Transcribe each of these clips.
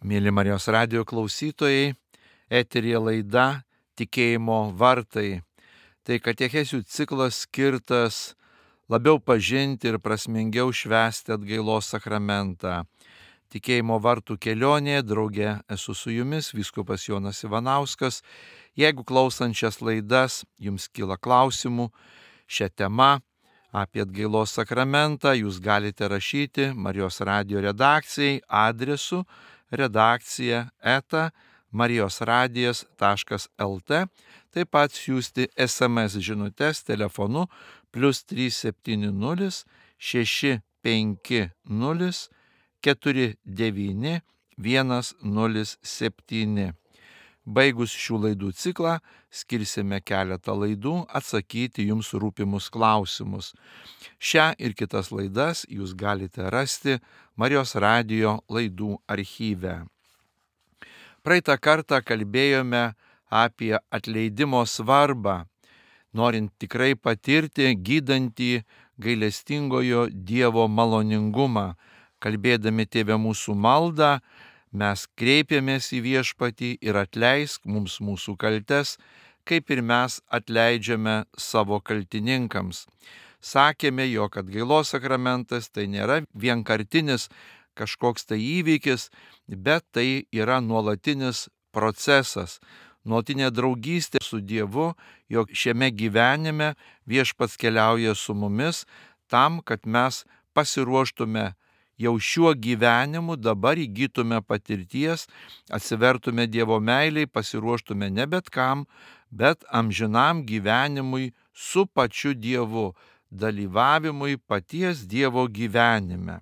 Mėly Marijos radijo klausytojai, eteryje laida Tikėjimo vartai. Tai katechezių ciklas skirtas labiau pažinti ir prasmingiau švęsti atgailos sakramentą. Tikėjimo vartų kelionėje drauge esu su jumis, vyskupas Jonas Ivanauskas. Jeigu klausant šias laidas jums kyla klausimų šią temą apie atgailos sakramentą, jūs galite rašyti Marijos radijo redakcijai adresu redakcija@marijosradijas.lt, taip pat siųsti SMS žinutes telefonu +370 650 49 107. Baigus šių laidų ciklą, skirsime keletą laidų atsakyti jums rūpimus klausimus. Šią ir kitas laidas jūs galite rasti Marijos radijo laidų archyve. Praeitą kartą kalbėjome apie atleidimo svarbą, norint tikrai patirti gydantį gailestingojo Dievo maloningumą. Kalbėdami Tėve mūsų maldą, mes kreipiamės į Viešpatį ir atleisk mums mūsų kaltes, kaip ir mes atleidžiame savo kaltininkams. Sakėme, jog atgailos sakramentas tai nėra vienkartinis kažkoks tai įvykis, bet tai yra nuolatinis procesas, nuolatinė draugystė su Dievu, jog šiame gyvenime Viešpats keliauja su mumis tam, kad mes pasiruoštume jau šiuo gyvenimu, dabar įgytume patirties, atsivertume Dievo meiliai, pasiruoštume ne bet kam, bet amžinam gyvenimui su pačiu Dievu, dalyvavimui paties Dievo gyvenime.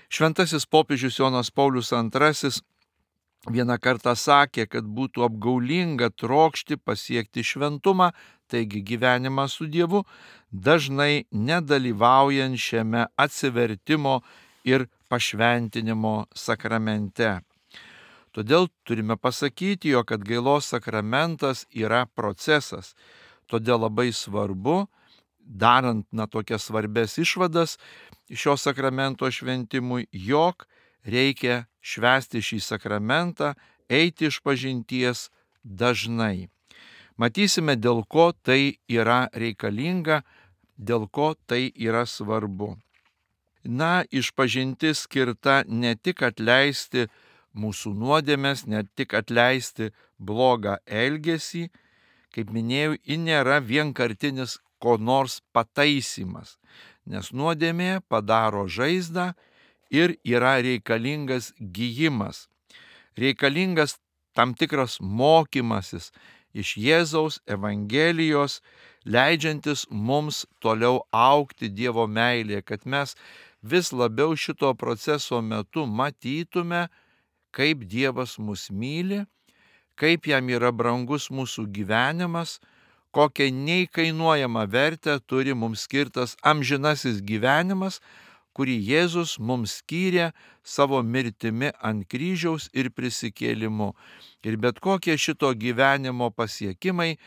Šventasis popiežius Jonas Paulius II vieną kartą sakė, kad būtų apgaulinga trokšti pasiekti šventumą, taigi gyvenimą su Dievu, dažnai nedalyvaujant šiame atsivertimo ir pašventinimo sakramente. Todėl turime pasakyti, jog atgailos sakramentas yra procesas. Todėl labai svarbu, darant tokias svarbes išvadas šio sakramento šventimui, jog reikia švęsti šį sakramentą, eiti išpažinties dažnai. Matysime, dėl ko tai yra reikalinga, dėl ko tai yra svarbu. Išpažintis skirta ne tik atleisti mūsų nuodėmes, ne tik atleisti blogą elgesį, kaip minėjau, ji nėra vienkartinis ko nors pataisymas, nes nuodėmė padaro žaizdą ir yra reikalingas gyjimas, reikalingas tam tikras mokymasis iš Jėzaus Evangelijos, leidžiantis mums toliau augti Dievo meilėje, kad mes vis labiau šito proceso metu matytume, kaip Dievas mus myli, kaip jam yra brangus mūsų gyvenimas, kokią neįkainuojamą vertę turi mums skirtas amžinasis gyvenimas, kurį Jėzus mums skyrė savo mirtimi ant kryžiaus ir prisikėlimu. Ir bet kokie šito gyvenimo pasiekimai,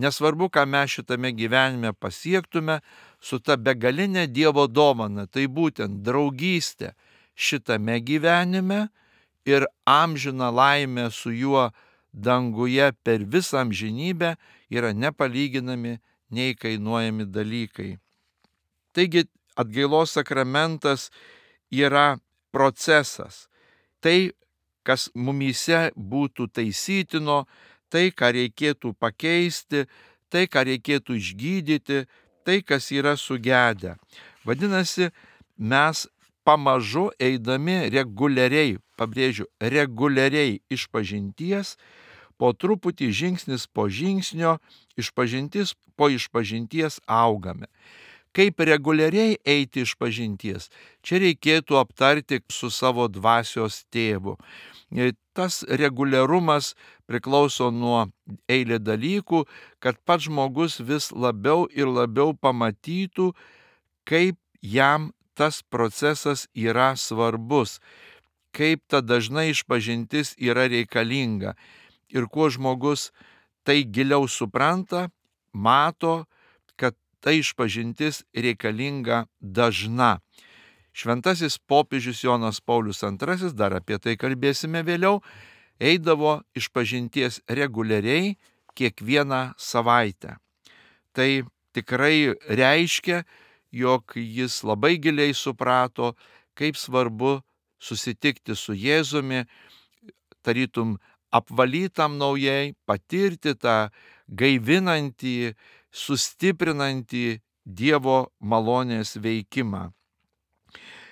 nesvarbu, ką mes šitame gyvenime pasiektume, su ta begalinė Dievo dovana, tai būtent draugystė šitame gyvenime ir amžina laimė su juo danguje per visą amžinybę yra nepalyginami, neįkainuojami dalykai. Taigi atgailos sakramentas yra procesas. Tai, kas mumyse būtų taisytino, tai, ką reikėtų pakeisti, tai, ką reikėtų išgydyti, tai, kas yra sugedę. Vadinasi, mes pamažu eidami reguliariai, pabrėžiu, reguliariai išpažinties, po truputį žingsnis po žingsnio, išpažintis po išpažinties augame. Kaip reguliariai eiti išpažinties? Čia reikėtų aptarti su savo dvasios tėvu. Tas reguliarumas priklauso nuo eilė dalykų, kad pats žmogus vis labiau ir labiau pamatytų, kaip jam tas procesas yra svarbus, kaip ta dažna išpažintis yra reikalinga. Ir kuo žmogus tai giliau supranta, mato, kad ta išpažintis reikalinga dažna. Šventasis popiežius Jonas Paulius II, dar apie tai kalbėsime vėliau, eidavo išpažinties reguliariai kiekvieną savaitę. Tai tikrai reiškia, jog jis labai giliai suprato, kaip svarbu susitikti su Jėzumi, tarytum apvalytam naujai, patirti tą gaivinantį, sustiprinantį Dievo malonės veikimą.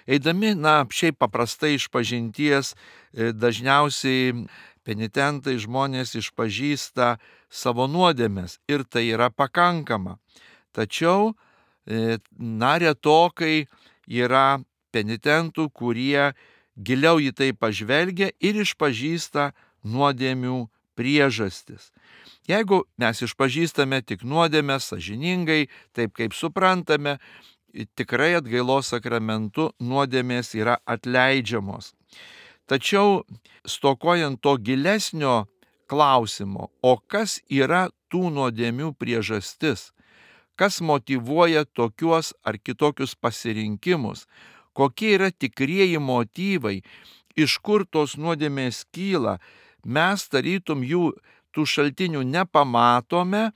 Eidami, šiaip paprastai išpažinties, dažniausiai penitentai žmonės išpažįsta savo nuodėmes ir tai yra pakankama. Tačiau, retokai yra penitentų, kurie giliau į tai pažvelgia ir išpažįsta nuodėmių priežastis. Jeigu mes išpažįstame tik nuodėmes sąžiningai, taip kaip suprantame, tikrai atgailos sakramentu nuodėmės yra atleidžiamos. Tačiau stokojant to gilesnio klausimo, o kas yra tų nuodėmių priežastis, kas motyvuoja tokius ar kitokius pasirinkimus, kokie yra tikrieji motyvai, iš kur tos nuodėmės kyla, mes tarytum tų šaltinių nepamatome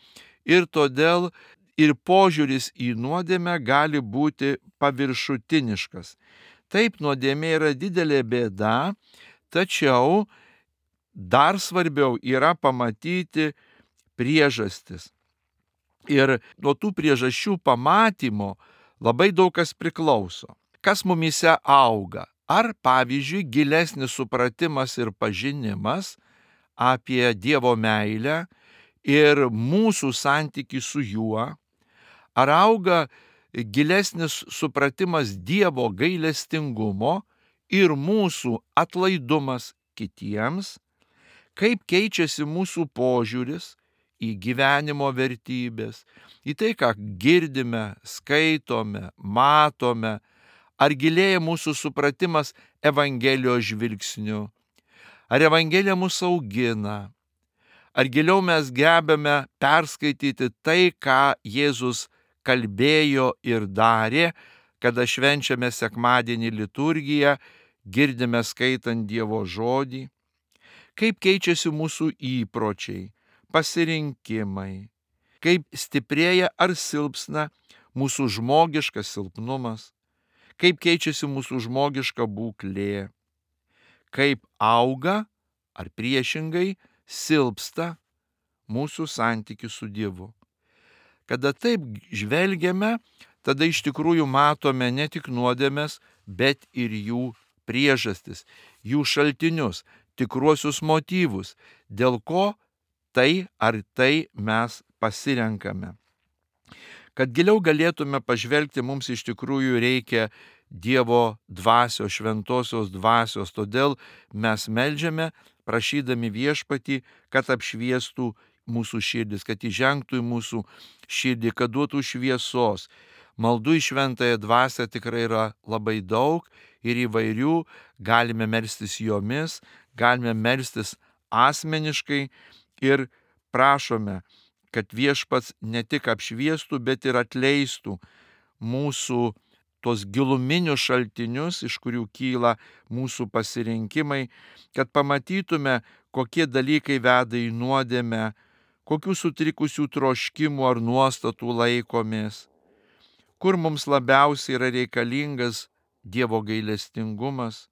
ir todėl ir požiūris į nuodėmę gali būti paviršutiniškas. Taip, nuodėmė yra didelė bėda, tačiau dar svarbiau yra pamatyti priežastis. Ir nuo tų priežasčių pamatymo labai daug kas priklauso. Kas mumyse auga? Ar, pavyzdžiui, gilesnis supratimas ir pažinimas apie Dievo meilę ir mūsų santykį su juo? Ar auga gilesnis supratimas Dievo gailestingumo ir mūsų atlaidumas kitiems? Kaip keičiasi mūsų požiūris į gyvenimo vertybės, į tai, ką girdime, skaitome, matome? Ar gilėja mūsų supratimas Evangelijos žvilgsniu? Ar Evangelija mus augina? Ar giliau mes gebame perskaityti tai, ką Jėzus kalbėjo ir darė, kada švenčiame sekmadienį liturgiją, girdime skaitant Dievo žodį? Kaip keičiasi mūsų įpročiai, pasirinkimai? Kaip stiprėja ar silpsna mūsų žmogiškas silpnumas? Kaip keičiasi mūsų žmogiška būklė? Kaip auga ar priešingai silpsta mūsų santykis su Dievu? Kada taip žvelgiame, tada iš tikrųjų matome ne tik nuodėmes, bet ir jų priežastis, jų šaltinius, tikruosius motyvus, dėl ko tai ar tai mes pasirenkame. Kad giliau galėtume pažvelgti, mums iš tikrųjų reikia Dievo dvasios, šventosios dvasios, todėl mes meldžiame, prašydami Viešpatį, kad apšviestų mūsų širdis, kad įžengtų į mūsų širdį, kad duotų šviesos. Maldų į šventąją dvasią tikrai yra labai daug ir įvairių, galime melstis jomis, galime melstis asmeniškai ir prašome, kad Viešpats ne tik apšviestų, bet ir atleistų mūsų tos giluminius šaltinius, iš kurių kyla mūsų pasirinkimai, kad pamatytume, kokie dalykai veda į nuodėmę, kokių sutrikusių troškimų ar nuostatų laikomės, kur mums labiausiai yra reikalingas Dievo gailestingumas,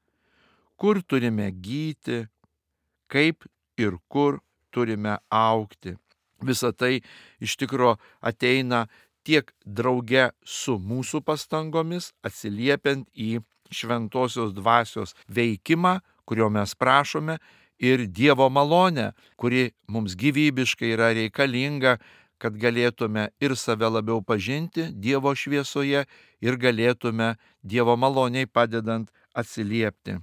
kur turime gyti, kaip ir kur turime augti. Visa tai iš tikro ateina tiek drauge su mūsų pastangomis, atsiliepiant į šventosios dvasios veikimą, kurio mes prašome, ir Dievo malonę, kuri mums gyvybiškai yra reikalinga, kad galėtume ir save labiau pažinti Dievo šviesoje ir galėtume Dievo maloniai padedant atsiliepti.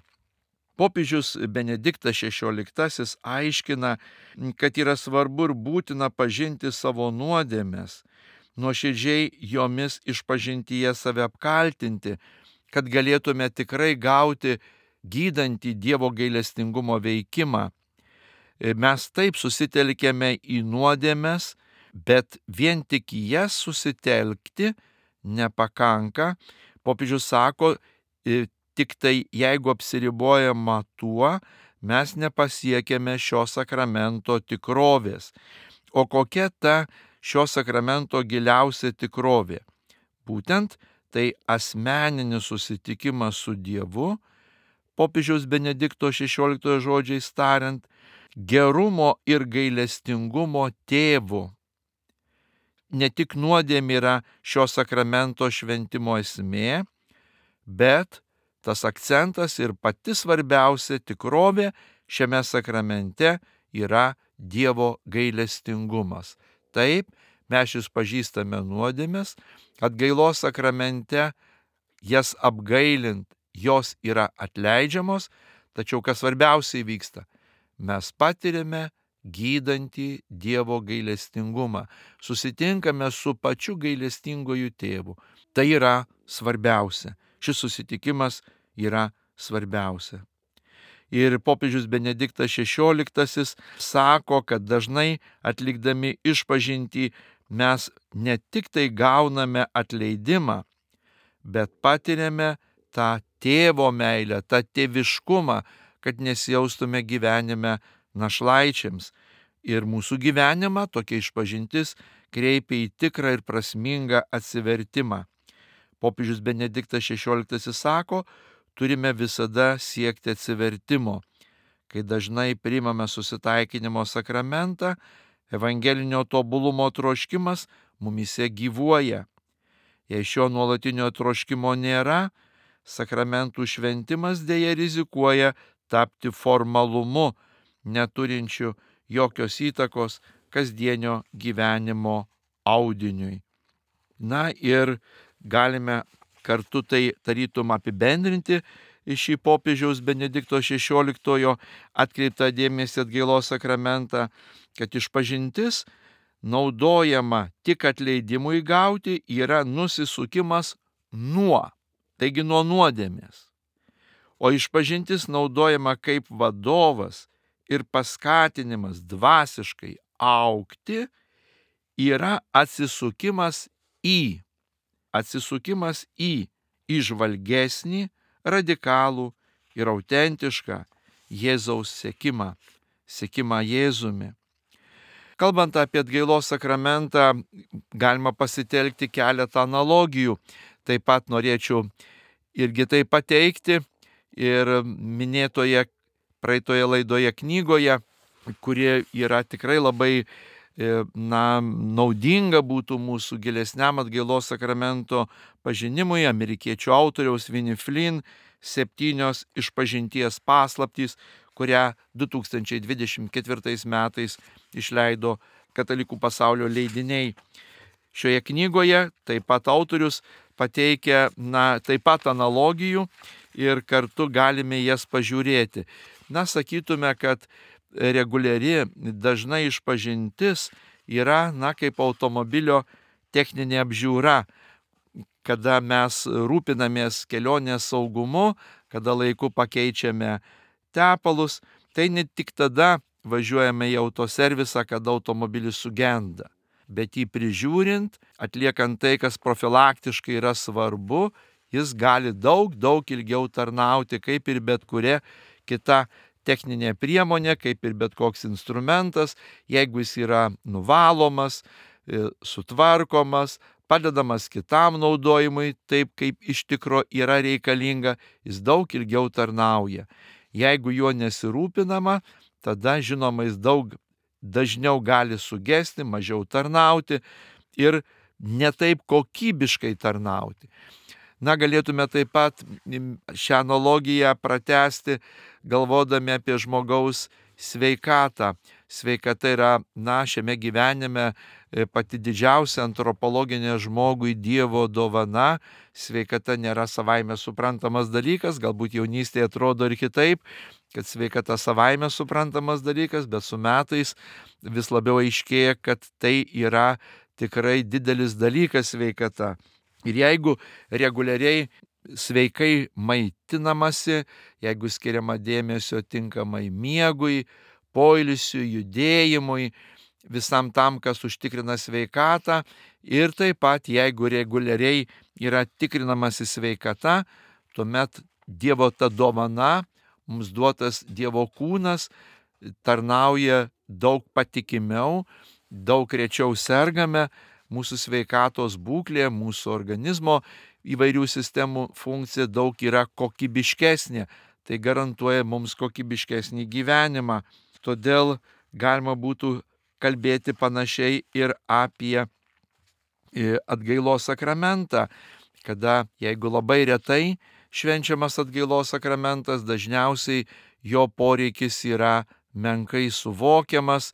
Popiežius Benediktas XVI aiškina, kad yra svarbu ir būtina pažinti savo nuodėmes, nuoširdžiai jomis išpažintyje save apkaltinti, kad galėtume tikrai gauti gydantį Dievo gailestingumo veikimą. Mes taip susitelkėme į nuodėmes, bet vien tik į jas susitelkti nepakanka. Popiežius sako, Tik tai jeigu apsiribojama tuo, mes nepasiekėme šio sakramento tikrovės. O kokia ta šio sakramento giliausia tikrovė? Būtent tai asmeninis susitikimas su Dievu, popiežiaus Benedikto XVI žodžiais tariant, gerumo ir gailestingumo tėvu. Ne tik nuodėmė yra šio sakramento šventimo esmė, bet tas akcentas ir pati svarbiausia tikrovė šiame sakramente yra Dievo gailestingumas. Taip, mes išpažįstame nuodėmes, atgailos sakramente jas apgailint, jos yra atleidžiamos, tačiau kas svarbiausiai vyksta, mes patiriame gydantį Dievo gailestingumą, susitinkame su pačiu gailestingoju tėvu. Tai yra svarbiausia. Šis susitikimas yra svarbiausia. Ir popiežius Benediktas XVI sako, kad dažnai atlikdami išpažintį mes ne tik tai gauname atleidimą, bet patiriame tą tėvo meilę, tą tėviškumą, kad nesijaustume gyvenime našlaičiams. Ir mūsų gyvenimą tokia išpažintis kreipia į tikrą ir prasmingą atsivertimą. Popiežius Benediktas XVI sako, turime visada siekti atsivertimo. Kai dažnai priimame susitaikinimo sakramentą, evangelinio tobulumo troškimas mumise gyvuoja. Jei šio nuolatinio troškimo nėra, sakramentų šventimas dėja rizikuoja tapti formalumu, neturinčiu jokios įtakos kasdienio gyvenimo audiniui. Na ir galime kartu tai tarytum apibendrinti šį popiežiaus Benedikto XVI atkreiptą dėmesį atgailos sakramentą, kad išpažintis naudojama tik atleidimui gauti yra nusisukimas taigi nuo nuodėmės. O išpažintis naudojama kaip vadovas ir paskatinimas dvasiškai augti yra atsisukimas į įžvalgesnį, radikalų ir autentišką Jėzaus sekimą Jėzumi. Kalbant apie atgailos sakramentą, galima pasitelkti keletą analogijų. Taip pat norėčiau irgi tai pateikti ir minėtoje praeitoje laidoje knygoje, kurie yra tikrai labai naudinga būtų mūsų gilesniam atgailos sakramento pažinimui, amerikiečių autoriaus Winnie Flynn 7 išpažinties paslaptys, kurią 2024 metais išleido Katalikų pasaulio leidiniai. Šioje knygoje taip pat autorius pateikia taip pat analogijų ir kartu galime jas pažiūrėti. Sakytume, kad reguliari dažnai išpažintis yra kaip automobilio techninė apžiūra, kada mes rūpinamės kelionės saugumu, kada laiku pakeičiame tepalus, tai ne tik tada važiuojame į autoservisą, kada automobilis sugenda, bet jį prižiūrint, atliekant tai, kas profilaktiškai yra svarbu, jis gali daug ilgiau tarnauti, kaip ir bet kuria kita techninė priemonė, kaip ir bet koks instrumentas, jeigu jis yra nuvalomas, sutvarkomas, padedamas kitam naudojimui, taip kaip iš tikro yra reikalinga, jis daug ilgiau tarnauja. Jeigu juo nesirūpinama, tada žinoma jis daug dažniau gali sugesti, mažiau tarnauti ir netaip kokybiškai tarnauti. Galėtume taip pat šią analogiją pratęsti, galvodami apie žmogaus sveikatą. Sveikata yra, šiame gyvenime pati didžiausia antropologinė žmogui Dievo dovana. Sveikata nėra savaime suprantamas dalykas, galbūt jaunystėje atrodo ir kitaip, kad sveikata savaime suprantamas dalykas, bet su metais vis labiau aiškėja, kad tai yra tikrai didelis dalykas sveikata. Ir jeigu reguliariai sveikai maitinamasi, jeigu skiriama dėmesio tinkamai miegui, poilsiui, judėjimui, visam tam, kas užtikrina sveikatą, ir taip pat jeigu reguliariai yra tikrinamasi sveikata, tuomet Dievo ta dovana, mums duotas Dievo kūnas, tarnauja daug patikimiau, daug rečiau sergame, mūsų sveikatos būklė, mūsų organizmo įvairių sistemų funkcija daug yra kokybiškesnė. Tai garantuoja mums kokybiškesnį gyvenimą. Todėl galima būtų kalbėti panašiai ir apie atgailos sakramentą, kada jeigu labai retai švenčiamas atgailos sakramentas, dažniausiai jo poreikis yra menkai suvokiamas,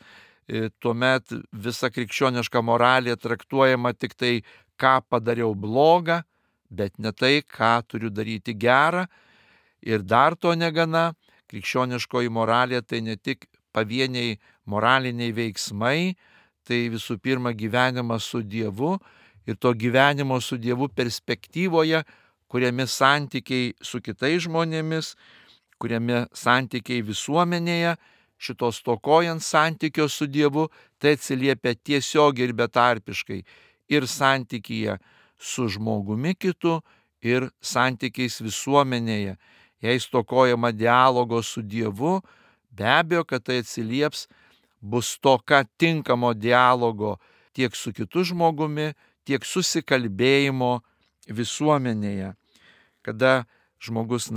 tuomet visa krikščioniška moralė traktuojama tik tai, ką padariau blogą, bet ne tai, ką turiu daryti gerą. Ir dar to negana, krikščioniškoji moralė tai ne tik pavieniai moraliniai veiksmai, tai visų pirma gyvenimas su Dievu ir to gyvenimo su Dievu perspektyvoje, kuriami santykiai su kitais žmonėmis, kuriami santykiai visuomenėje, šitos stokojant santykio su Dievu, tai atsiliepia tiesiog ir betarpiškai ir santykyje su žmogumi kitu, ir santykiais visuomenėje. Jei stokojama dialogo su Dievu, be abejo, kad tai atsilieps, bus stoka tinkamo dialogo tiek su kitu žmogumi, tiek susikalbėjimo visuomenėje. Kada žmogus,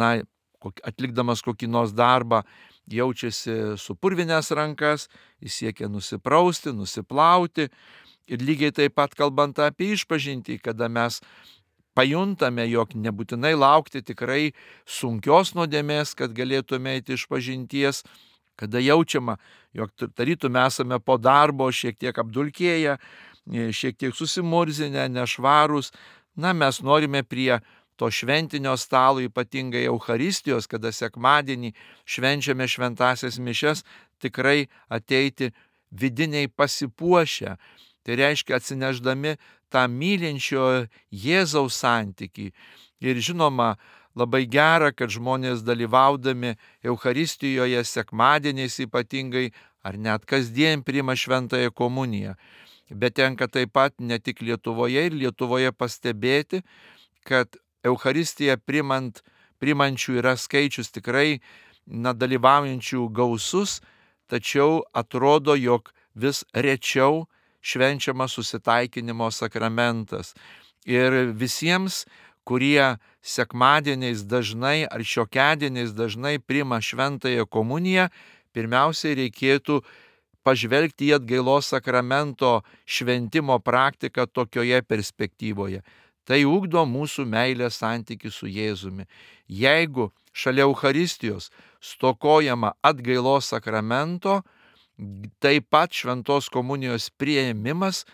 atlikdamas kokį nors darbą, jaučiasi supurvinęs rankas, jis siekia nusiprausti, nusiplauti. Ir lygiai taip pat kalbant apie išpažintį, kada mes pajuntame, jog nebūtinai laukti tikrai sunkios nuodėmės, kad galėtume eiti išpažinties, kada jaučiama, jog tarytum esame po darbo šiek tiek apdulkėję, šiek tiek susimurzinę, nešvarūs, mes norime prie to šventinio stalo, ypatingai Eucharistijos, kada sekmadienį švenčiame šventasias mišias, tikrai ateiti vidiniai pasipuošę. Tai reiškia atsineždami tą mylinčio Jėzaus santykį. Ir žinoma, labai gera, kad žmonės dalyvaudami Eucharistijoje sekmadieniais ypatingai, ar net kasdien priima šventąją komuniją. Bet tenka taip pat ne tik Lietuvoje ir Lietuvoje pastebėti, kad Eucharistiją primančių yra skaičius tikrai dalyvaujančių gausus, tačiau atrodo, jog vis rečiau švenčiamas susitaikinimo sakramentas. Ir visiems, kurie sekmadieniais dažnai ar šiokiadieniais dažnai priima šventąją komuniją, pirmiausiai reikėtų pažvelgti į atgailos sakramento šventimo praktiką tokioje perspektyvoje. Tai ugdo mūsų meilės santykių su Jėzumi. Jeigu šalia Eucharistijos stokojama atgailos sakramento, taip pat šventos komunijos priėmimas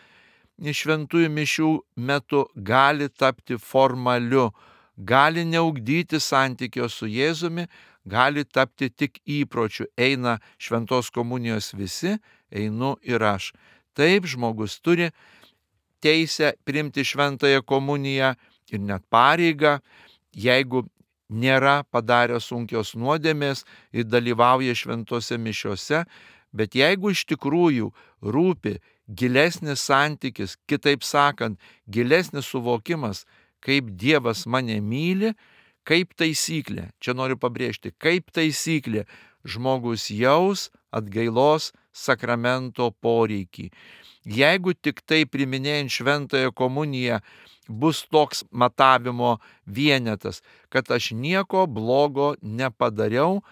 šventųjų mišių metu gali tapti formaliu, gali neugdyti santykio su Jėzumi, gali tapti tik įpročiu. Eina šventos komunijos visi, einu ir aš. Taip žmogus turi teisę priimti šventąją komuniją ir net pareigą, jeigu nėra padaręs sunkios nuodėmės ir dalyvauja šventose mišiose, bet jeigu iš tikrųjų rūpi gilesnis santykis, kitaip sakant, gilesnis suvokimas, kaip Dievas mane myli, kaip taisyklė, čia noriu pabrėžti, kaip taisyklė žmogus jaus atgailos sakramento poreikį. Jeigu tik tai priminėjant šventąją komuniją bus toks matavimo vienetas, kad aš nieko blogo nepadariau,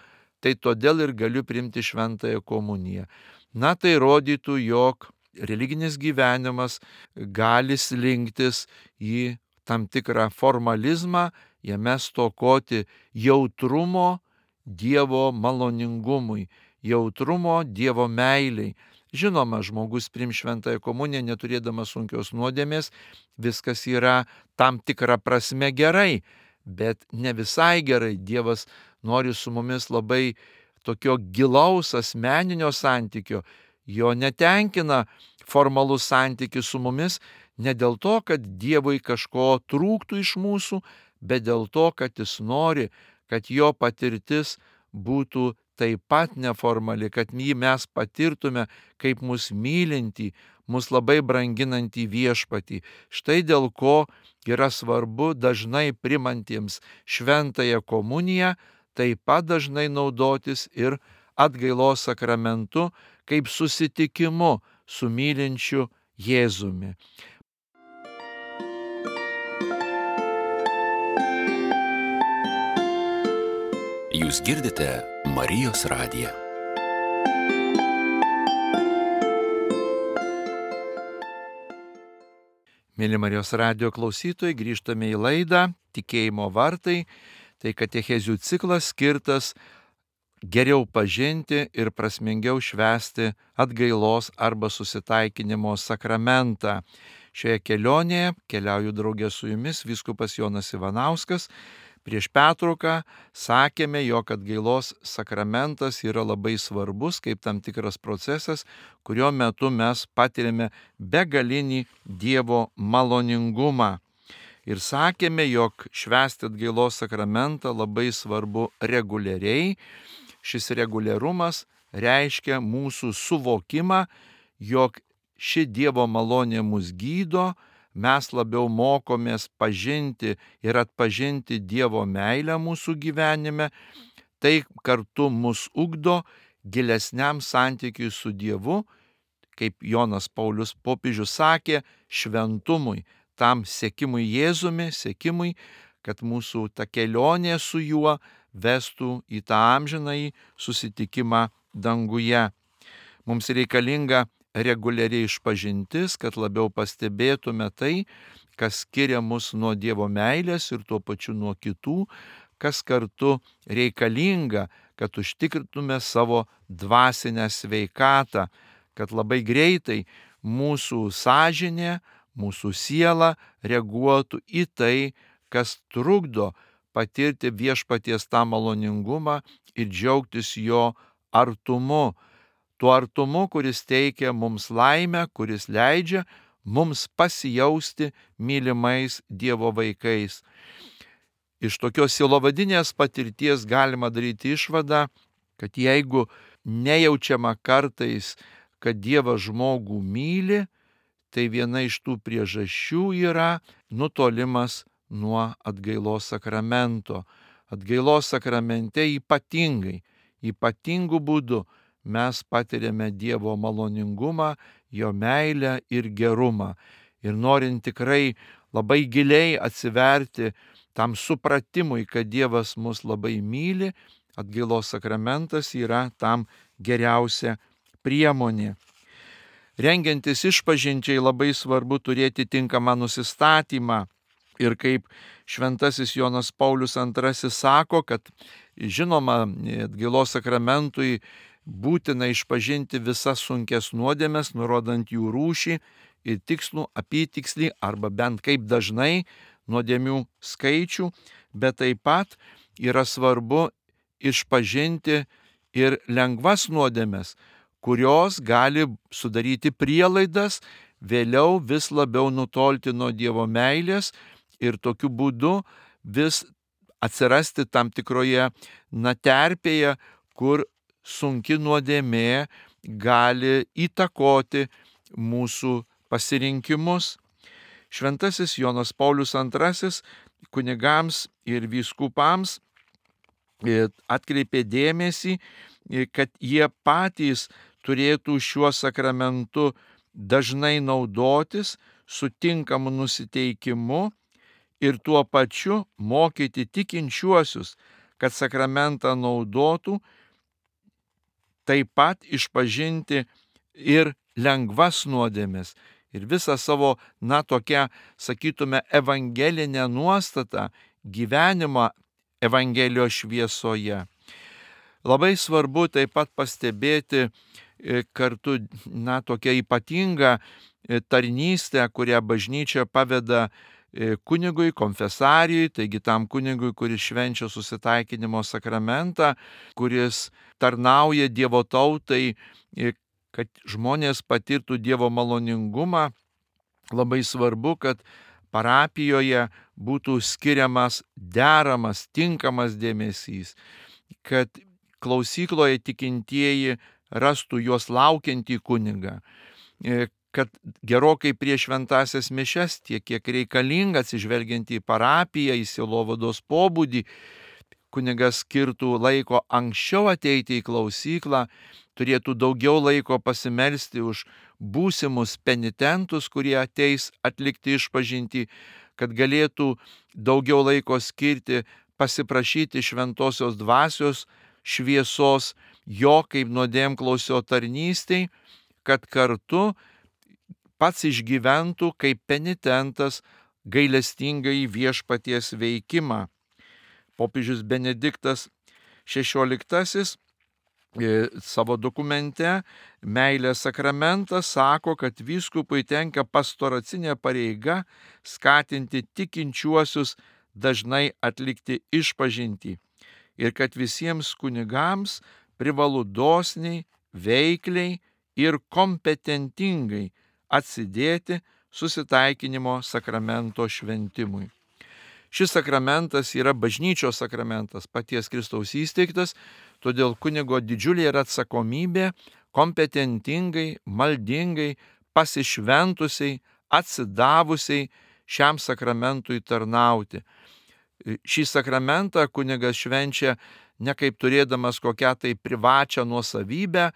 tai todėl ir galiu priimti šventąją komuniją. Tai rodytų, jog religinis gyvenimas gali slinktis į tam tikrą formalizmą, jame stokoti jautrumo Dievo maloningumui, jautrumo Dievo meiliai. Žinoma, žmogus priims šventąją komuniją neturėdamas sunkios nuodėmės, viskas yra tam tikra prasme gerai, bet ne visai gerai. Dievas nori su mumis labai tokio gilaus asmeninio santykio. Jo netenkina formalus santykis su mumis ne dėl to, kad Dievui kažko trūktų iš mūsų, bet dėl to, kad jis nori, kad jo patirtis būtų taip pat neformali, kad jį mes patirtume kaip mus mylintį, mus labai branginantį viešpatį. Štai dėl ko yra svarbu dažnai primantiems šventąją komuniją, taip pat dažnai naudotis ir atgailos sakramentu kaip susitikimu su mylinčiu Jėzumi. Jūs girdite Marijos radiją. Mėly Marijos radijo klausytojai, grįžtame į laidą Tikėjimo vartai. Tai katechezių ciklas skirtas geriau pažinti ir prasmingiau švęsti atgailos arba susitaikinimo sakramentą. Šioje kelionėje keliauju draugė su jumis vyskupas Jonas Ivanauskas. Prieš pertrauką sakėme, jog atgailos sakramentas yra labai svarbus kaip tam tikras procesas, kurio metu mes patiriame begalinį Dievo maloningumą. Ir sakėme, jog švęsti atgailos sakramentą labai svarbu reguliariai. Šis reguliarumas reiškia mūsų suvokimą, jog ši Dievo malonė mus gydo, mes labiau mokomės pažinti ir atpažinti Dievo meilę mūsų gyvenime, tai kartu mus ugdo gilesniam santykiui su Dievu, kaip Jonas Paulius popiežius sakė, šventumui, tam sekimui Jėzumi, sekimui, kad mūsų ta kelionė su juo vestų į tą amžinąjį susitikimą danguje. Mums reikalinga reguliariai išpažintis, kad labiau pastebėtume tai, kas skiria mus nuo Dievo meilės ir tuo pačiu nuo kitų, kas kartu reikalinga, kad užtikrintume savo dvasinę sveikatą, kad labai greitai mūsų sąžinė, mūsų siela reaguotų į tai, kas trukdo patirti viešpaties tą maloningumą ir džiaugtis jo artumu. Tuo artumu, kuris teikia mums laimę, kuris leidžia mums pasijausti mylimais Dievo vaikais. Iš tokios sielovadinės patirties galima daryti išvadą, kad jeigu nejaučiama kartais, kad Dievas žmogų myli, tai viena iš tų priežasčių yra nutolimas nuo atgailos sakramento. Atgailos sakramente ypatingu būdu mes patiriame Dievo maloningumą, jo meilę ir gerumą. Ir norint tikrai labai giliai atsiverti tam supratimui, kad Dievas mus labai myli, atgailos sakramentas yra tam geriausia priemonė. Rengiantis išpažinčiai labai svarbu turėti tinkamą nusistatymą. Ir kaip šventasis Jonas Paulius II sako, kad žinoma, atgailos sakramentui būtina išpažinti visas sunkias nuodėmes, nurodant jų rūšį ir tikslų, apytikslį arba bent kaip dažnai nuodėmių skaičių, bet taip pat yra svarbu išpažinti ir lengvas nuodėmes, kurios gali sudaryti prielaidas vėliau vis labiau nutolti nuo Dievo meilės ir tokiu būdu vis atsirasti tam tikroje terpėje, kur sunki nuodėmė gali įtakoti mūsų pasirinkimus. Šventasis Jonas Paulius II kunigams ir vyskupams atkreipė dėmesį, kad jie patys turėtų šiuo sakramentu dažnai naudotis su tinkamu nusiteikimu ir tuo pačiu mokyti tikinčiuosius, kad sakramentą naudotų, taip pat išpažinti ir lengvas nuodėmes ir visą savo, tokią, sakytume, evangelinę nuostatą gyvenimą Evangelijos šviesoje. Labai svarbu taip pat pastebėti kartu, tokią ypatingą tarnystę, kurią bažnyčia paveda kunigui, konfesarijui, taigi tam kunigui, kuris švenčia susitaikinimo sakramentą, kuris tarnauja Dievo tautai, kad žmonės patirtų Dievo maloningumą. Labai svarbu, kad parapijoje būtų skiriamas deramas, tinkamas dėmesys, kad klausykloje tikintieji rastų juos laukiantį kunigą, kad gerokai prieš šventąsias mišias, tiek kiek reikalinga atsižvelgiant į parapiją, į sielovados pobūdį, kunigas skirtų laiko anksčiau ateiti į klausyklą, turėtų daugiau laiko pasimelsti už būsimus penitentus, kurie ateis atlikti išpažintį, kad galėtų daugiau laiko skirti pasiprašyti šventosios dvasios šviesos jo kaip nuodėmklausio tarnystei, kad kartu pats išgyventų kaip penitentas gailestingai viešpaties veikimą. Popiežius Benediktas XVI savo dokumente Meilės sakramentas sako, kad vyskupui tenka pastoracinė pareiga skatinti tikinčiuosius dažnai atlikti išpažintį ir kad visiems kunigams privalu dosniai, veikliai ir kompetentingai atsidėti susitaikinimo sakramento šventimui. Šis sakramentas yra bažnyčios sakramentas, paties Kristaus įsteigtas, todėl kunigo didžiulė yra atsakomybė kompetentingai, maldingai, pasišventusiai, atsidavusiai šiam sakramentui tarnauti. Šį sakramentą kunigas švenčia ne kaip turėdamas kokią tai privačią nuosavybę,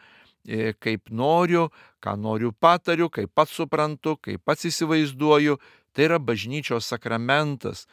kaip noriu, ką noriu patariu, kaip pats suprantu, kaip pats įsivaizduoju. Tai yra bažnyčios sakramentas.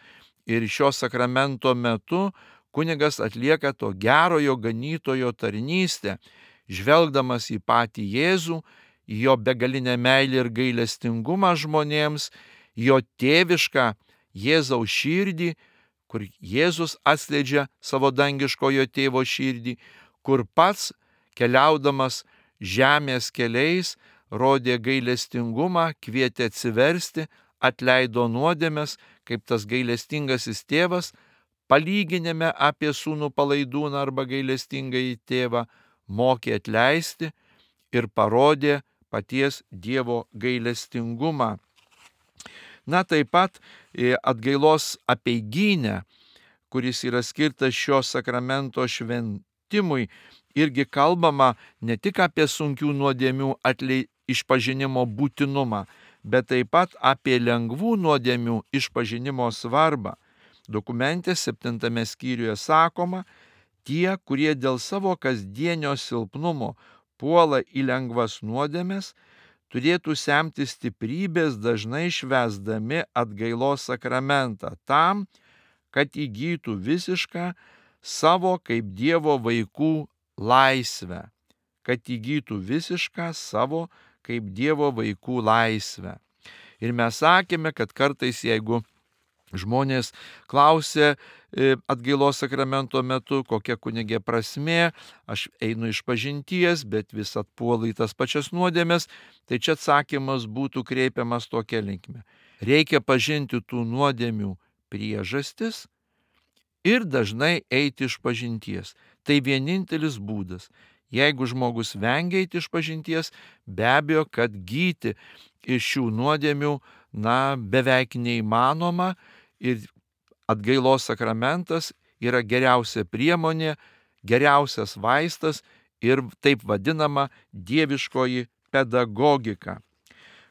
Ir šio sakramento metu kunigas atlieka to gerojo ganytojo tarnystę, žvelgdamas į patį Jėzų, į jo begalinę meilę ir gailestingumą žmonėms, jo tėvišką Jėzaus širdį, kur Jėzus atskleidžia savo dangiškojo tėvo širdį, kur pats keliaudamas žemės keliais rodė gailestingumą, kvietė atsiversti, atleido nuodėmes, kaip tas gailestingasis tėvas, palyginime apie sūnų palaidūną arba gailestingąjį tėvą, mokė atleisti ir parodė paties Dievo gailestingumą. Na, taip pat atgailos apeigynė, kuris yra skirtas šio sakramento šventimui, irgi kalbama ne tik apie sunkių nuodėmių išpažinimo būtinumą, bet taip pat apie lengvų nuodėmių išpažinimo svarbą. Dokumente 7 skyriuje sakoma, tie, kurie dėl savo kasdienio silpnumo puola į lengvas nuodėmes, turėtų semti stiprybės dažnai švęsdami atgailos sakramentą tam, kad įgytų visišką savo kaip Dievo vaikų laisvę. Kad įgytų visišką savo kaip Dievo vaikų laisvę. Ir mes sakėme, kad kartais, jeigu žmonės klausė atgailos sakramento metu, kokia kunigė prasmė, aš einu išpažinties, bet vis atpuolu į tas pačias nuodėmes, tai čia atsakymas būtų kreipiamas tokia linkme. Reikia pažinti tų nuodėmių priežastis ir dažnai eiti išpažinties. Tai vienintelis būdas. Jeigu žmogus vengia eiti išpažinties, be abejo, kad gyti iš šių nuodėmių, beveik neįmanoma ir atgailos sakramentas yra geriausia priemonė, geriausias vaistas ir taip vadinama dieviškoji pedagogika.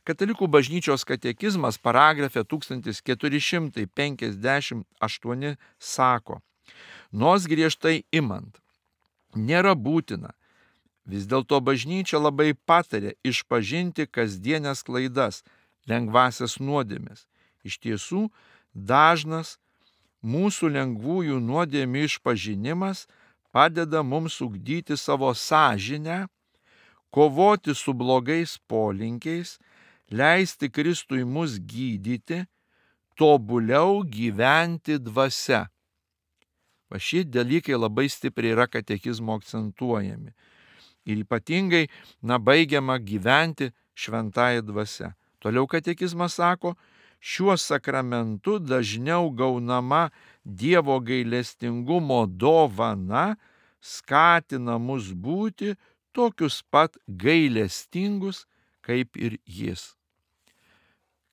Katalikų bažnyčios katekizmas paragrafe 1458 sako, nors griežtai imant, nėra būtina. Vis dėlto bažnyčia labai patarė išpažinti kasdienės klaidas, lengvasias nuodėmes. Iš tiesų, dažnas mūsų lengvųjų nuodėmių išpažinimas padeda mums ugdyti savo sąžinę, kovoti su blogais polinkiais, leisti Kristui mus gydyti, tobuliau gyventi dvasia. Šie dalykai labai stipriai yra katekizmo akcentuojami. Ir ypatingai, baigiama gyventi šventąja dvasia. Toliau katekizmas sako, šiuo sakramentu dažniau gaunama Dievo gailestingumo dovana skatina mus būti tokius pat gailestingus, kaip ir Jis.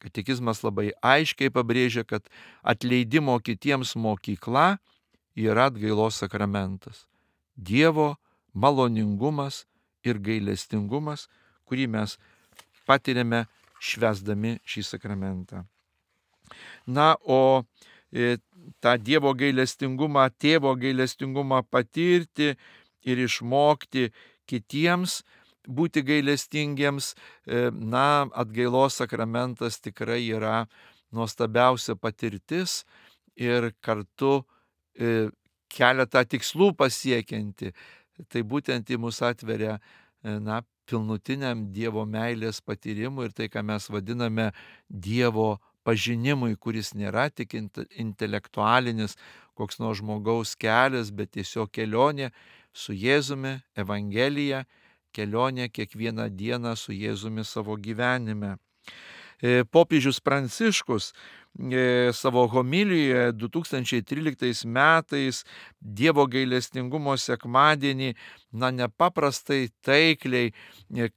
Katekizmas labai aiškiai pabrėžia, kad atleidimo kitiems mokykla yra atgailos sakramentas. Dievo maloningumas ir gailestingumas, kurį mes patiriame švęsdami šį sakramentą. Na, o tą Dievo gailestingumą, tėvo gailestingumą patirti ir išmokti kitiems būti gailestingiems, atgailos sakramentas tikrai yra nuostabiausia patirtis ir kartu keletą tikslų pasiekianti. Tai būtent į mus atveria pilnutiniam Dievo meilės patyrimui ir tai, ką mes vadiname Dievo pažinimui, kuris nėra tik intelektualinis koks nors žmogaus kelias, bet tiesiog kelionė su Jėzumi, Evangelija, kelionė kiekvieną dieną su Jėzumi savo gyvenime. Popiežius Pranciškus savo homilijoje 2013 metais Dievo gailestingumo sekmadienį nepaprastai taikliai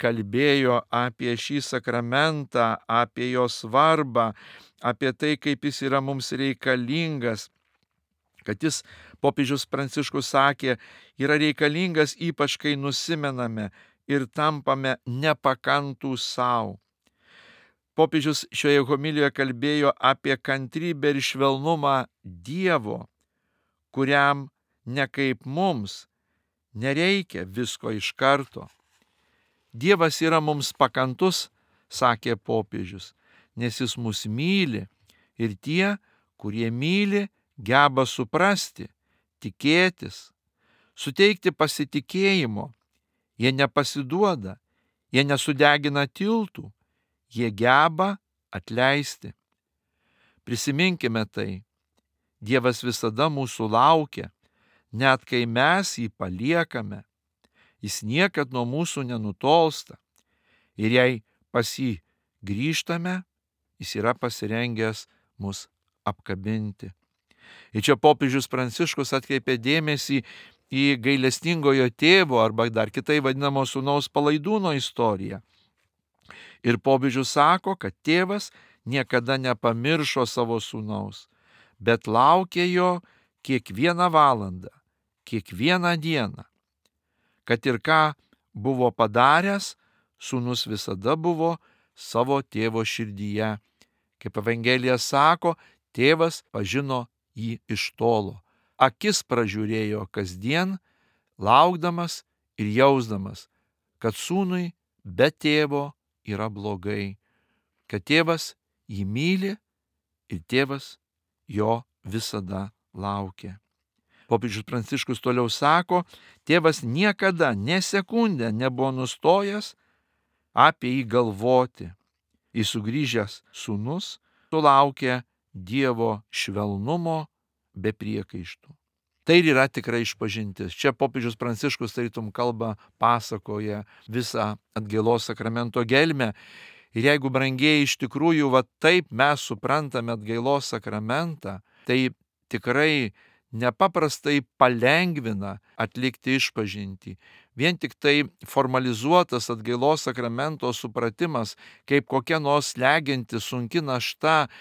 kalbėjo apie šį sakramentą, apie jo svarbą, apie tai, kaip jis yra mums reikalingas, kad jis, popiežius Pranciškus sakė, yra reikalingas ypač kai nusimename ir tampame nepakantūs savo. Popiežius šioje homilijoje kalbėjo apie kantrybę ir švelnumą Dievo, kuriam ne kaip mums nereikia visko iš karto. Dievas yra mums pakantus, sakė popiežius, nes jis mus myli ir tie, kurie myli, geba suprasti, tikėtis, suteikti pasitikėjimo. Jie nepasiduoda, jie nesudegina tiltų, jie geba atleisti. Prisiminkime tai. Dievas visada mūsų laukia, net kai mes jį paliekame. Jis niekad nuo mūsų nenutolsta. Ir jei pas jį grįžtame, jis yra pasirengęs mus apkabinti. Ir čia popiežius Pranciškus atkreipė dėmesį į gailestingojo tėvo arba dar kitai vadinamo sūnaus Palaidūno istoriją. Ir popiežius sako, kad tėvas niekada nepamiršo savo sūnaus, bet laukė jo kiekvieną valandą, kiekvieną dieną. Kad ir ką buvo padaręs, sūnus visada buvo savo tėvo širdyje. Kaip Evangelija sako, tėvas pažino jį iš tolo. Akis pražiūrėjo kasdien, laukdamas ir jausdamas, kad sūnui be tėvo yra blogai, kad tėvas jį myli ir tėvas jo visada laukia. Popiežius Pranciškus toliau sako, tėvas niekada nė sekundę nebuvo nustojęs apie jį galvoti. Jis sugrįžęs sūnus sulaukė Dievo švelnumo be priekaištų. Tai ir yra tikra išpažintis. Čia popiežius Pranciškus tarytum kalba, pasakoja visą atgailos sakramento gelmę. Ir jeigu, brangieji, iš tikrųjų taip mes suprantame atgailos sakramentą, tai tikrai nepaprastai palengvina atlikti išpažintį. Vien tik tai formalizuotas atgailos sakramento supratimas, kaip kokia nors slegianti sunki našta,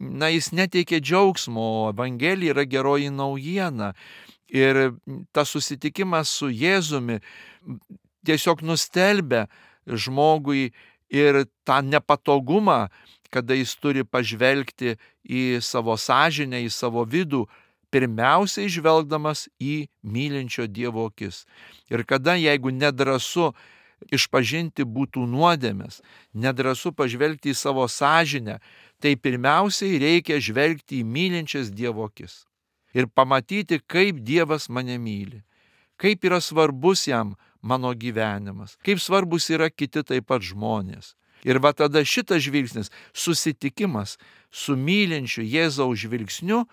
jis neteikia džiaugsmo, o Evangelija yra geroji naujiena. Ir tas susitikimas su Jėzumi tiesiog nustelbia žmogui ir tą nepatogumą, kada jis turi pažvelgti į savo sąžinę, į savo vidų, pirmiausiai žvelgdamas į mylinčio Dievo akis. Ir kada, jeigu nedrąsu išpažinti būtų nuodėmes, nedrąsu pažvelgti į savo sąžinę, tai pirmiausiai reikia žvelgti į mylinčias Dievo akis. Ir pamatyti, kaip Dievas mane myli, kaip yra svarbus jam mano gyvenimas, kaip svarbus yra kiti taip pat žmonės. Ir tada šitas žvilgsnis, susitikimas su mylinčiu Jėzaus žvilgsniu,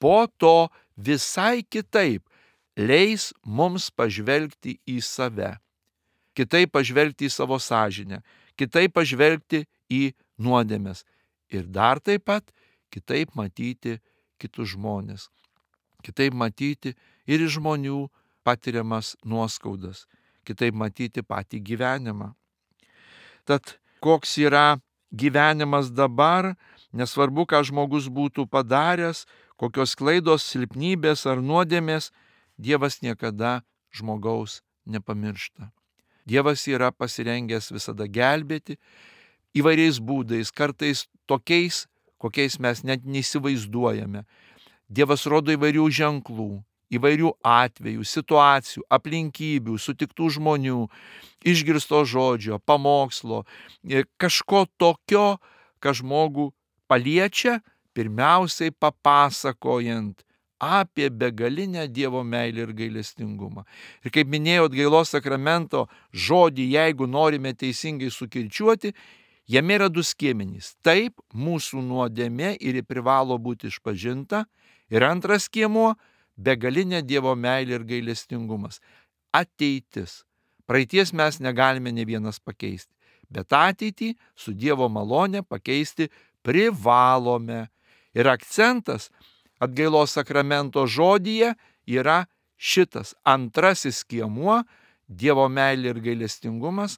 po to visai kitaip leis mums pažvelgti į save, kitaip pažvelgti į savo sąžinę, kitaip pažvelgti į nuodėmes ir dar taip pat kitaip matyti kitus žmonės, kitaip matyti ir žmonių patiriamas nuoskaudas, kitaip matyti patį gyvenimą. Tad koks yra gyvenimas dabar, nesvarbu, ką žmogus būtų padaręs, kokios klaidos, silpnybės ar nuodėmės, Dievas niekada žmogaus nepamiršta. Dievas yra pasirengęs visada gelbėti įvairiais būdais, kartais tokiais, kokiais mes net neįsivaizduojame. Dievas rodo įvairių ženklų, įvairių atvejų, situacijų, aplinkybių, sutiktų žmonių, išgirsto žodžio, pamokslo, kažko tokio, kas žmogų paliečia, pirmiausiai papasakojant apie begalinę Dievo meilę ir gailestingumą. Ir kaip minėjau, atgailos sakramento žodį, jeigu norime teisingai sukirčiuoti, jame yra du skiemenys. Taip, mūsų nuodėmė ir privalo būti išpažinta. Ir antras skiemuo - begalinė Dievo meilė ir gailestingumas. Ateitis. Praeities mes negalime ne vienas pakeisti, bet ateitį su Dievo malone pakeisti privalome. Ir akcentas atgailos sakramento žodyje yra šitas antrasis skiemuo - Dievo meilė ir gailestingumas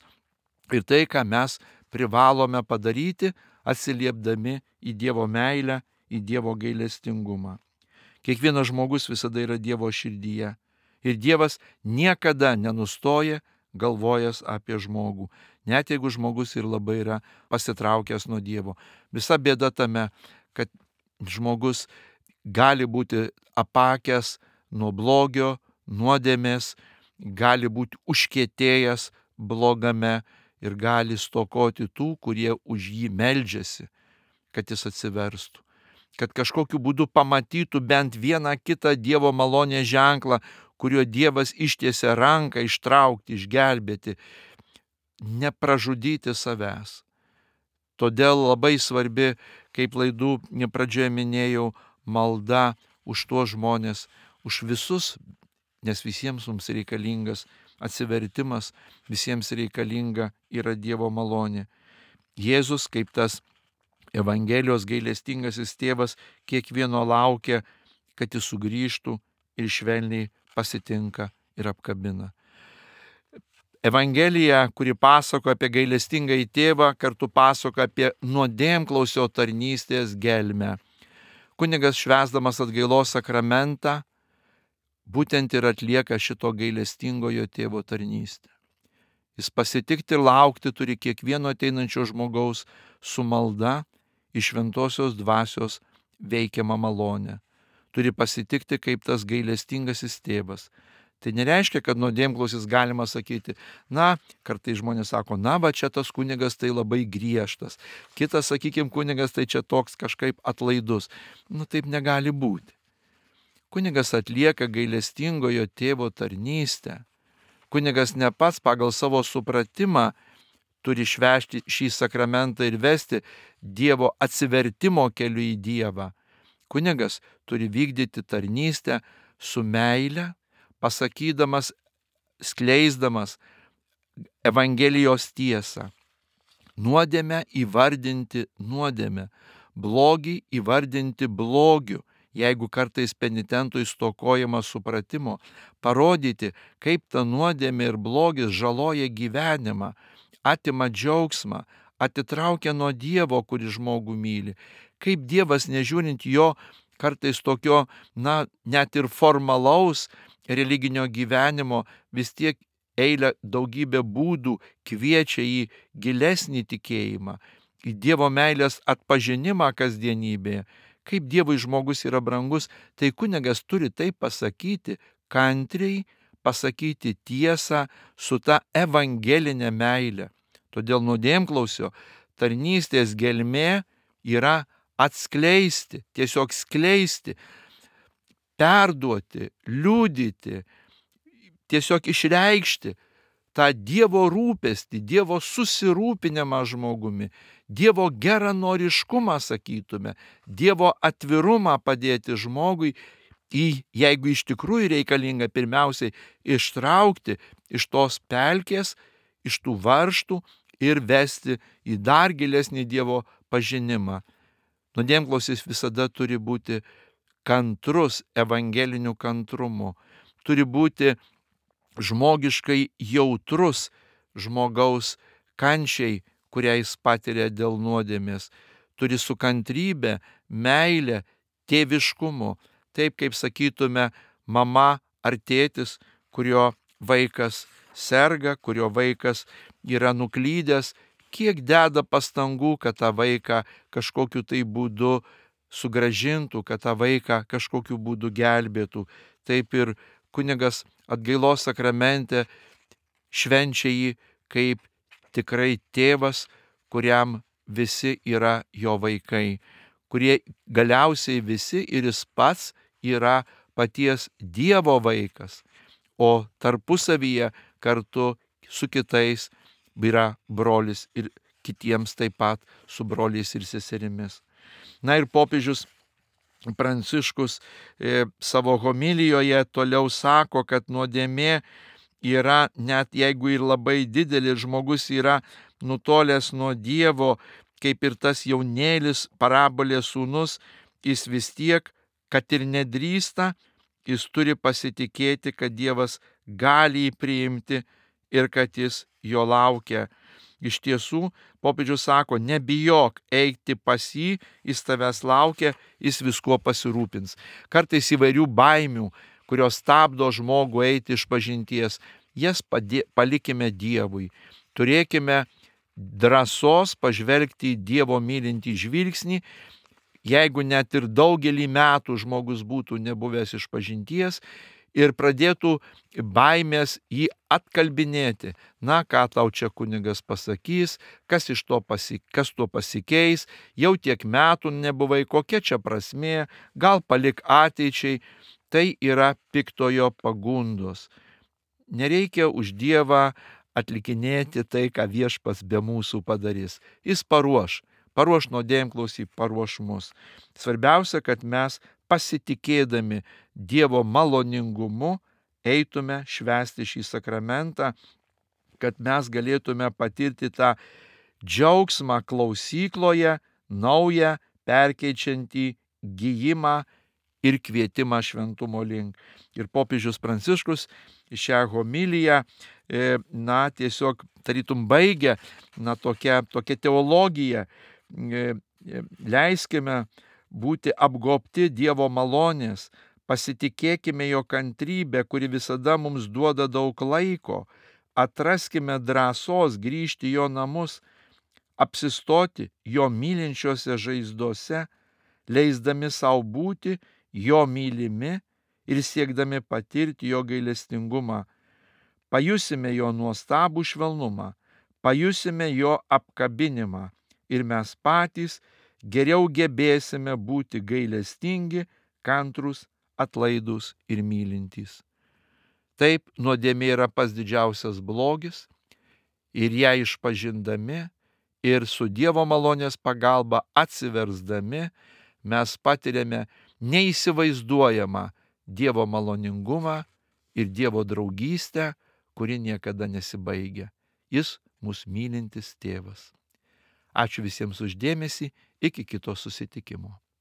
ir tai, ką mes privalome padaryti, atsiliepdami į Dievo meilę, į Dievo gailestingumą. Kiekvienas žmogus visada yra Dievo širdyje ir Dievas niekada nenustoja galvojęs apie žmogų, net jeigu žmogus ir labai yra pasitraukęs nuo Dievo. Visa bėda tame, kad žmogus gali būti apakęs nuo blogio, nuodėmės, gali būti užkietėjęs blogame ir gali stokoti tų, kurie už jį meldžiasi, kad jis atsiverstų, kad kažkokiu būdu pamatytų bent vieną kitą Dievo malonės ženklą, kuriuo Dievas ištiesia ranką ištraukti, išgelbėti, nepražudyti savęs. Todėl labai svarbi, kaip laidų pradžioje minėjau, malda už tuos žmonės, už visus, nes visiems mums reikalingas atsivertimas, visiems reikalinga yra Dievo malonė. Jėzus, kaip tas Evangelijos gailestingasis tėvas, kiekvieno laukia, kad jis sugrįžtų ir švelniai pasitinka ir apkabina. Evangelija, kuri pasako apie gailestingąjį tėvą, kartu pasako apie nuodėmklausio tarnystės gelmę. Kunigas švęsdamas atgailos sakramentą būtent ir atlieka šito gailestingojo tėvo tarnystę. Jis pasitikti ir laukti turi kiekvieno ateinančio žmogaus su malda iš šventosios dvasios veikiamą malonę. Turi pasitikti kaip tas gailestingasis tėvas. Tai nereiškia, kad nuodėmklausis galima sakyti, na, kartais žmonės sako, na, va čia tas kunigas tai labai griežtas. Kitas, sakykime, kunigas tai čia toks kažkaip atlaidus. Nu, taip negali būti. Kunigas atlieka gailestingojo tėvo tarnystę. Kunigas ne pats pagal savo supratimą turi švęsti šį sakramentą ir vesti Dievo atsivertimo keliu į Dievą. Kunigas turi vykdyti tarnystę su meile, pasakydamas, skleisdamas Evangelijos tiesą. Nuodėmę įvardinti nuodėmę, blogį įvardinti blogiu, jeigu kartais penitentui stokojama supratimo, parodyti, kaip ta nuodėmė ir blogis žaloja gyvenimą, atima džiaugsmą, atitraukia nuo Dievo, kuris žmogų myli, kaip Dievas, nežiūrint jo kartais tokio, na, net ir formalaus religinio gyvenimo, vis tiek eilę daugybę būdų kviečia į gilesnį tikėjimą, į Dievo meilės atpažinimą kasdienybėje. Kaip Dievui žmogus yra brangus, tai kunigas turi tai pasakyti kantriai, pasakyti tiesą su ta evangelinė meilė. Todėl nuodėmklausio tarnystės gelmė yra atskleisti, tiesiog skleisti, perduoti, liudyti, tiesiog išreikšti tą Dievo rūpestį, Dievo susirūpinimą žmogumi, Dievo geranoriškumą, sakytume, Dievo atvirumą padėti žmogui, jeigu iš tikrųjų reikalinga pirmiausiai ištraukti iš tos pelkės, iš tų varžtų ir vesti į dar gilesnį Dievo pažinimą. Nuodėmklausis visada turi būti kantrus evangeliniu kantrumu, turi būti žmogiškai jautrus žmogaus kančiai, kurią jis patiria dėl nuodėmės, turi su kantrybe, meile, tėviškumu, taip kaip sakytume mama ar tėtis, kurio vaikas serga, kurio vaikas yra nuklydęs, kiek deda pastangų, kad tą vaiką kažkokiu tai būdu sugražintų, kad tą vaiką kažkokiu būdu gelbėtų. Taip ir kunigas atgailos sakramente švenčia jį kaip tikrai tėvas, kuriam visi yra jo vaikai, kurie galiausiai visi ir jis pats yra paties Dievo vaikas, o tarpusavyje kartu su kitais yra brolis ir kitiems taip pat su broliais ir seserimis. Na ir popiežius Pranciškus savo homilijoje toliau sako, kad nuodėmė yra, net jeigu ir labai didelis, žmogus yra nutolęs nuo Dievo, kaip ir tas jaunėlis parabolės sūnus, jis vis tiek, kad ir nedrįsta, jis turi pasitikėti, kad Dievas gali jį priimti ir kad jis jo laukia. Iš tiesų, popiežius sako, nebijok eiti pas jį, jis tavęs laukia, jis viskuo pasirūpins. Kartais įvairių baimių, kurios stabdo žmogų eiti iš pažinties, jas palikime Dievui. Turėkime drąsos pažvelgti į Dievo mylintį žvilgsnį, jeigu net ir daugelį metų žmogus būtų nebuvęs iš pažinties ir pradėtų baimės jį atkalbinėti. Na, ką tau čia kunigas pasakys, kas tuo pasikeis, jau tiek metų nebuvai, kokia čia prasmė, gal palik ateičiai. Tai yra piktojo pagundos. Nereikia už Dievą atlikinėti tai, ką Viešpats be mūsų padarys. Jis paruoš nuodėmklausį, paruoš mus. Svarbiausia, kad mes pasitikėdami Dievo maloningumu eitume švęsti šį sakramentą, kad mes galėtume patirti tą džiaugsmą klausykloje, naują, perkeičiantį gijimą ir kvietimą šventumo link. Ir popiežius Pranciškus šią homiliją, tiesiog tarytum baigia, tokia teologija. Leiskime būti apgobti Dievo malonės, pasitikėkime jo kantrybę, kuri visada mums duoda daug laiko, atraskime drąsos grįžti į jo namus, apsistoti jo mylinčiose žaizdose, leisdami savo būti jo mylimi ir siekdami patirti jo gailestingumą. Pajusime jo nuostabų švelnumą, pajusime jo apkabinimą ir mes patys geriau gebėsime būti gailestingi, kantrus, atlaidūs ir mylintys. Taip, nuodėmė yra pats didžiausias blogis ir ją išpažindami ir su Dievo malonės pagalba atsiversdami mes patiriame neįsivaizduojamą Dievo maloningumą ir Dievo draugystę, kuri niekada nesibaigia. Jis mus mylintis tėvas. Ačiū visiems už dėmesį, iki kito susitikimo.